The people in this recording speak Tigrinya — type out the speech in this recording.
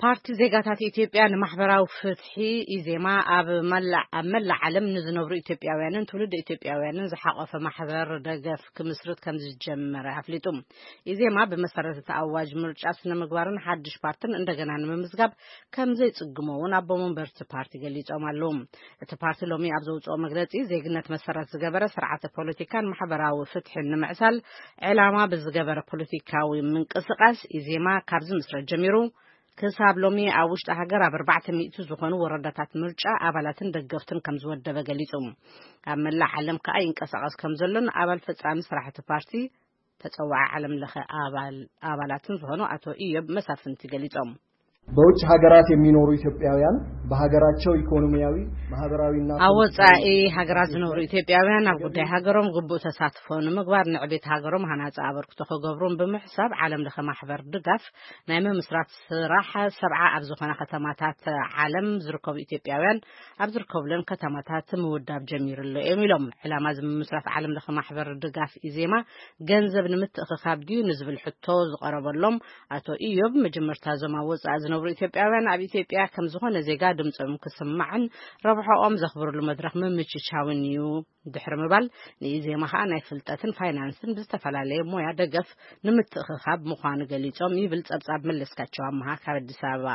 ፓርቲ ዜጋታት ኢትዮጵያ ንማሕበራዊ ፍትሒ፣ ኢዜማ፣ ኣብ መላእ፣ ኣብ መላእ ዓለም ንዝነብሩ ኢትዮጵያውያንን ትውልድ ኢትዮጵያውያንን ዝሓቆፈ ማሕበር ደገፍ ክምስርት ከም ዝጀመረ ኣፍሊጡ። ኢዜማ ብመሰረት እቲ ኣዋጅ ምርጫ ስነ ምግባርን ሓድሽ ፓርትን እንደገና ንምምዝጋብ ከም ዘይጽግሞ እውን ኣቦ መንበርቲ ፓርቲ ገሊጾም ኣለዉ። እቲ ፓርቲ ሎሚ ኣብ ዘውጽኦ መግለጺ፣ ዜግነት መሰረት ዝገበረ ስርዓተ ፖለቲካን ማሕበራዊ ፍትሕን ንምዕሳል ዕላማ ብዝገበረ ፖለቲካዊ ምንቅስቃስ ኢዜማ ካብ ዝምስረት ጀሚሩ ክሳብ ሎሚ ኣብ ውሽጢ ሃገር ኣብ ኣርባዕተ ሚእቲ ዝኾኑ ወረዳታት ምርጫ ኣባላትን ደገፍትን ከም ዝወደበ ገሊጹ። ኣብ መላእ ዓለም ከኣ ይንቀሳቐስ ከም ዘሎን ኣባል ፈጻሚ ስራሕቲ ፓርቲ ተጸዋዒ ዓለም ለኸ ኣባል-፣ ኣባላትን ዝኾኑ ኣቶ ኢዮብ መሳፍንቲ ገሊጾም። በውጭ ሀገራት የሚኖሩ ኢትዮጵያውያን በሀገራቸው ኢኮኖሚያዊ፣ ማህበራዊና ኣብ ወጻኢ ሃገራት ዝነብሩ ኢትዮጵያውያን ኣብ ጉዳይ ሃገሮም ግቡእ ተሳትፎ ንምግባር ንዕቤት ሃገሮም ሃናጺ ኣበርክቶ ክገብሩን ብምሕሳብ ዓለም ለኸ ማሕበር ድጋፍ ናይ ምምስራት ስራሕ ሰብዓ ኣብ ዝኾና ከተማታት ዓለም ዝርከቡ ኢትዮጵያውያን ኣብ ዝርከብለን ከተማታት ምውዳብ ጀሚሩ ኣሎ እዮም ኢሎም። ዕላማ እዚ ምምስራት ዓለም ለኸ ማሕበር ድጋፍ ኢዜማ ገንዘብ ንምትእኽኻብ ድዩ ንዝብል ሕቶ ዝቐረበሎም ኣቶ ኢዮብ፣ መጀመርታ እዞም ኣብ ወጻኢ ዝነብሩ ኢትዮጵያውያን ኣብ ኢትዮጵያ ከም ዝኾነ ዜጋ ድምጾም ክስማዕን ረብሖኦም ዘኽብርሉ መድረኽ ምምችቻውን እዩ ድሕሪ ምባል፣ ንኢዜማ ኸኣ ናይ ፍልጠትን ፋይናንስን ብዝተፈላለየ ሞያ ደገፍ ንምትእኽኻብ ምዃኑ ገሊጾም ይብል ጸብጻብ መለስካቸው ኣመሃ ካብ ኣዲስ ኣበባ።